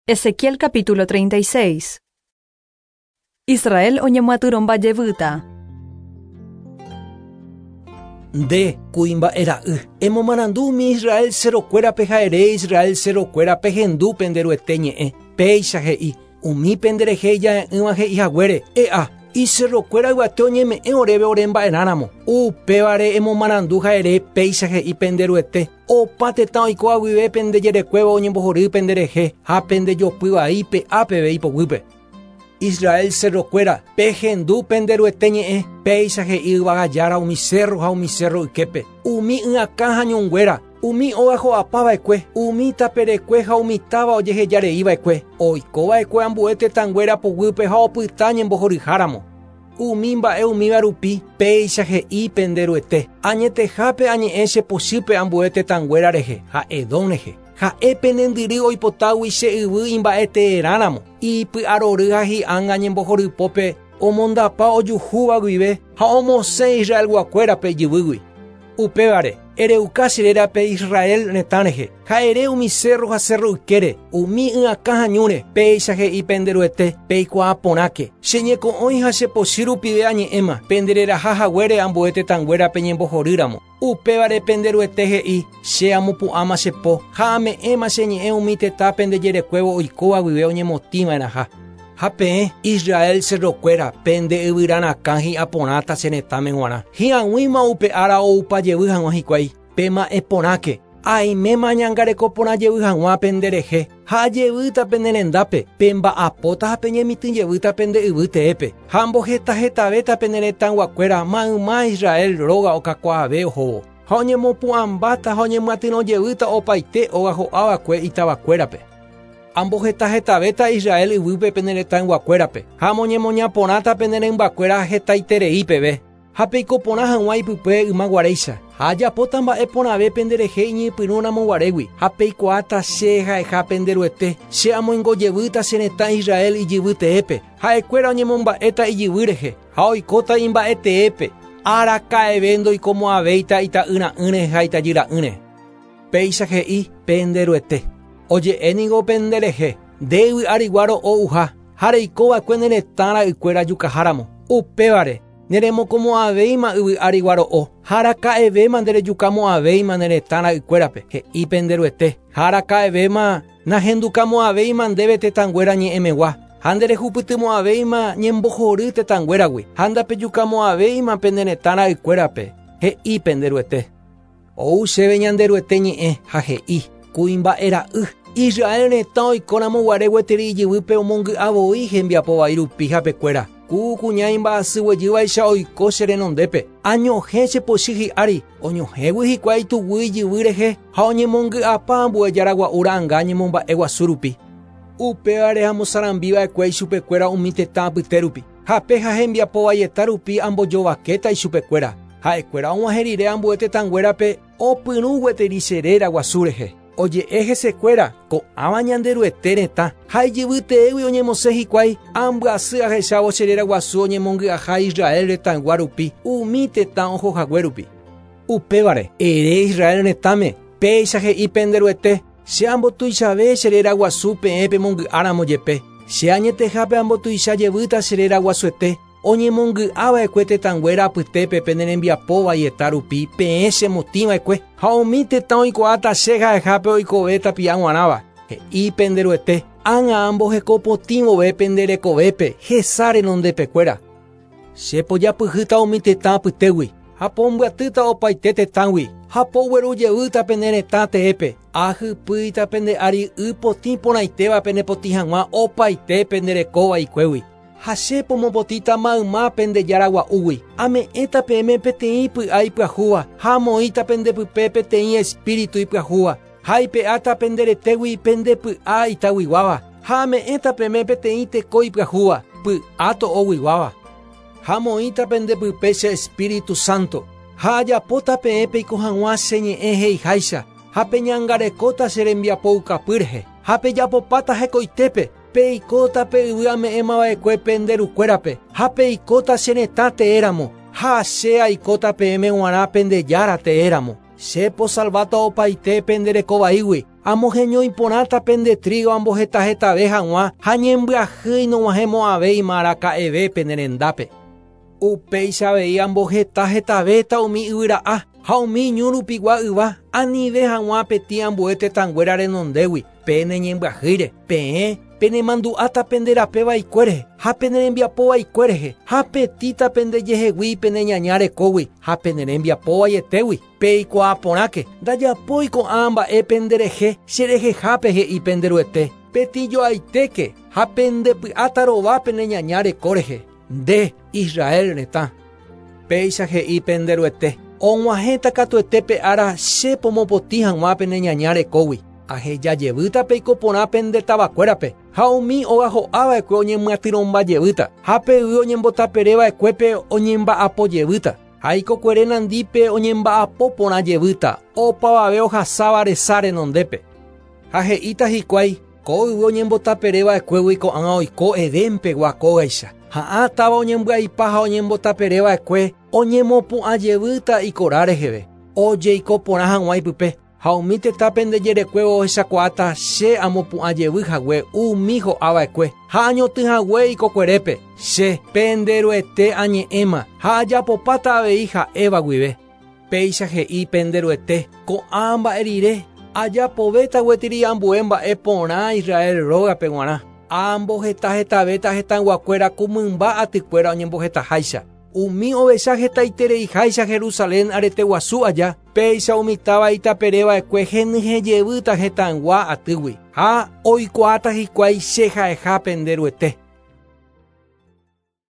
Ezequiel capítulo 36. Israel oñemyatyrõmba jevýta. Nde, kuimba'e ra'y, emomarandu umi Israel cerrokuérape ha ere Israel cerrokuéra pehendu pende Ruete ñe'ẽ. Péicha he'i, umi pende rehe ija'e'ỹva he'i haguére, E'a, icerrokuéra yvate oñeme'ẽ oréve ore mba'erãramo. Upévare emomarandu ha ere péicha he'i pende Ruete, Opa tetã oikóva guive pende jerekuévo oñembohory pende rehe ha pende jopy vai pe'a peve ipoguýpe. Israel cerrokuéra, pehendu pende Ruete ñe'ẽ, péicha he'i yvága Jára umi cérro ha umi cérro yképe, umi y'akã ha ñunguéra, umi óga ho'apa va'ekue, umi taperekue ha umi táva ojeheja rei va'ekue, oiko va'ekue ambue tetãnguéra poguýpe ha opyta ñembohoryháramo. Umi mba'e umíva rupi, péicha he'i pende Ruete, Añetehápe añe'ẽ che pochýpe ambue tetãnguéra rehe ha Edom rehe. Ha'e pene ndyry oipotágui che yvy imba'eteerãramo, ipy'arory ha hi'ánga ñembohorypópe omondapa ojuhúva guive ha omosẽ Israelguakuérape ijyvýgui. Upévare, ereuka che rérape Israel retã rehe, ha ere umi cérro ha cérro ykére, umi y'akã ha ñúre, péicha he'i pende Ruete, Peikuaa porãke, che ñeko'õi ha che pochy rupive añe'ẽma, pende reraha haguére ambue tetãnguéra peñembohorýramo. Upévare pende Ruete he'i, Che amopu'ãma che po, ha ame'ẽma che ñe'ẽ umi tetã pende jerekuévo oikóva guive oñemotĩva'erãha. Ha peẽ, Israel cerrokuéra, pende yvyra rakã hi'a porãta che retãme g̃uarã. Hi'ag̃uíma upe ára oupa jevy hag̃ua hikuái, pema'ẽ porãke, aiméma añangareko porã jevy hag̃ua pende rehe, ha ajevýta pene rendápe, pemba'apóta ha peñemitỹ jevýta pende yvy teépe, ha amboheta hetavéta pene retãyguakuéra mayma Israel róga okakuaave ohóvo, ha oñemopu'ãmbáta ha oñemyatyrõ jevýta opaite óga ho'ava'ekue itavakuérape. Amboheta hetavéta Israel yvýpe pene retãyguakuérape, ha amoñemoña porãta pene rymbakuéra hetaiterei peve, ha peiko porã hag̃ua ipype yma guaréicha. Ha ajapóta mba'e porãve penderehe iñypyrũ ramo guarégui, ha peikuaáta che ha'eha pende Ruete, che amoingo jevýta che retã Israel ijyvy teépe, ha'ekuéra oñemomba'éta ijyvy rehe, ha oikóta imba'e teépe, araka'eve ndoikomo'ãvéita ita'yra'ỹre ha itajyra'ỹre. Péicha he'i pende Ruete, Oje'e ningo pende rehe, nde yvy arigua ro'o uha, ha reiko va'ekue ne retã ra'ykuéra jukaháramo. Upévare, neremokomo'ãvéima yvy arigua ro'o, ha araka'evéma nderejukamo'ãvéima ne retã ra'ykuérape, he'i pende Ruete, ha araka'evéma nahendukamo'ãvéima ndéve tetãnguéra ñe'ẽmegua, ha nderehupytymo'ãvéima ñembohory tetãnguéragui, ha ndapejukamo'ãvéima pene retã ra'ykuérape, he'i pende Ruete. Ou chéve Ñanderuete ñe'ẽ, ha he'i, Kuimba'e ra'y, Israel retã oikóramo guare gueteri ijyvýpe omongy'a voi hembiapo vai rupi hapekuéra, ku kuña imba'asy guejývaicha oiko che renondépe, añohẽ che pochy hi'ári, oñohẽgui hikuái tuguy ijyvy rehe ha oñemongy'apa ambue jára gua'u ra'ãnga ñemomba'e guasu rupi. Upévare amosarambi va'ekue ichupekuéra umi tetã apyte rupi. Hape ha hembiapo vaieta rupi ambojovakéta ichupekuéra. Ha'ekuéra og̃uahẽ rire ambue tetãnguérape opyrũ gueteri che réra guasu rehe. Oje'e hesekuéra, Ko'ãva Ñanderuete retã, ha ijyvy teégui oñemosẽ hikuái, ambyasy ahechávo che réra guasu oñemongy'aha Israel retãygua rupi, umi tetã ohohague rupi. Upévare, ere Israel retãme, Péicha he'i pende Ruete, Che ambotuichave che réra guasu peẽ pemongy'áramo jepe. Che añetehápe ambotuicha jevýta che réra guasuete, oñemongy'a va'ekue tetãnguéra apytépe pene rembiapo vaieta rupi peẽ chemotĩ va'ekue, ha umi tetã oikuaáta che ha'ehápe oikove tapia g̃uarãva, he'i pende Ruete, ág̃a amboheko potĩ vove pende rekovépe hesa renondepekuéra. Che pojapyhýta umi tetã apytégui, ha pombyatýta opaite tetãgui, ha pogueru jevýta pene retã teépe, ahypýita pende ári y potĩ porãitéva penepotĩ hag̃ua opaite pende reko vaikuégui. Ha che pomopotĩta mayma pende jára gua'úgui, ame'ẽta peẽme peteĩ py'a ipyahúva ha amoĩta pende pype peteĩ espíritu ipyahúva, ha aipe'áta pende retégui pende py'a itaguiguáva, ha ame'ẽta peẽme peteĩ teko ipyahúva, py'a to'oguiguáva. Ha amoĩta pende pype che Espíritu Santo, ha ajapóta peẽ peiko hag̃ua che ñe'ẽ he'iháicha, ha peñangarekóta che rembiapoukapy rehe, ha pejapopáta hekoitépe, peikóta pe yvy ame'ẽmava'ekue pende rukuérape, ha peikóta che retã teéramo, ha che aikóta peẽme g̃uarã pende Jára teéramo. Che posalváta opaite pende reko vaígui, amoheñói porãta pende trígo ambohetahetave hag̃ua ha ñembyahýi nog̃uahẽmo'ãvéima araka'eve pene rendápe. Upéicha avei amboheta hetavéta umi yvyra'a ha umi ñu rupigua yva anive hag̃ua petĩ ambue tetãnguéra renondégui pene ñembyahýire. Peẽ penemandu'áta pende rape vaikue rehe ha pene rembiapo vaikue rehe ha petĩta pendejehegui pene ñaña rekógui ha pene rembiapo vaietégui. Peikuaa porãke, ndajapói ko'ã mba'e penderehe cherehehápe he'i pende Ruete. Petĩjoaitéke ha pendepy'áta rova pene ñaña reko rehe. Nde, Israel retã. Péicha he'i pende Ruete, og̃uahẽta katuete pe ára che pomopotĩ hag̃ua pene ñaña rekógui. Aheja jevýta peiko porã pende tavakuérape, ha umi óga ho'ava'ekue oñemyatyrõmba jevýta, ha pe yvy oñembotapereva'ekuépe oñemba'apo jevýta. Ha ikokuere nandípe oñemba'apo porã jevýta, opavave ohasáva resa renondépe. Ha he'íta hikuái, ko yvy oñembotapereva'ekuégui ko'ág̃a oiko Edén-pegua kógaicha. Ha ã táva oñembyaipa ha oñembotapereva'ekue oñemopu'ã jevýta ikora reheve, ojeiko porã hag̃ua ipype. Ha umi tetã pende jerekuévo ohechakuaáta che amopu'ã jevy hague umi ho'ava'ekue ha añotỹ hague ikokuerépe. Che, pende Ruete añe'ẽma ha ajapopáta avei ha'éva guive. Péicha he'i pende Ruete, ko'ã mba'e rire, ajapovéta gueteri ambue mba'e porã Israel rógape g̃uarã. Ambohetahetavéta hetãyguakuéra ku mymba atykuéra oñembohetaháicha. Umi ovecha hetaitereiháicha Jerusalén arete guasu aja, péicha umi táva itapereva'ekue henyhẽjevýta hetãygua atýgui. Ha oikuaáta hikuái che ha'eha pende Ruete.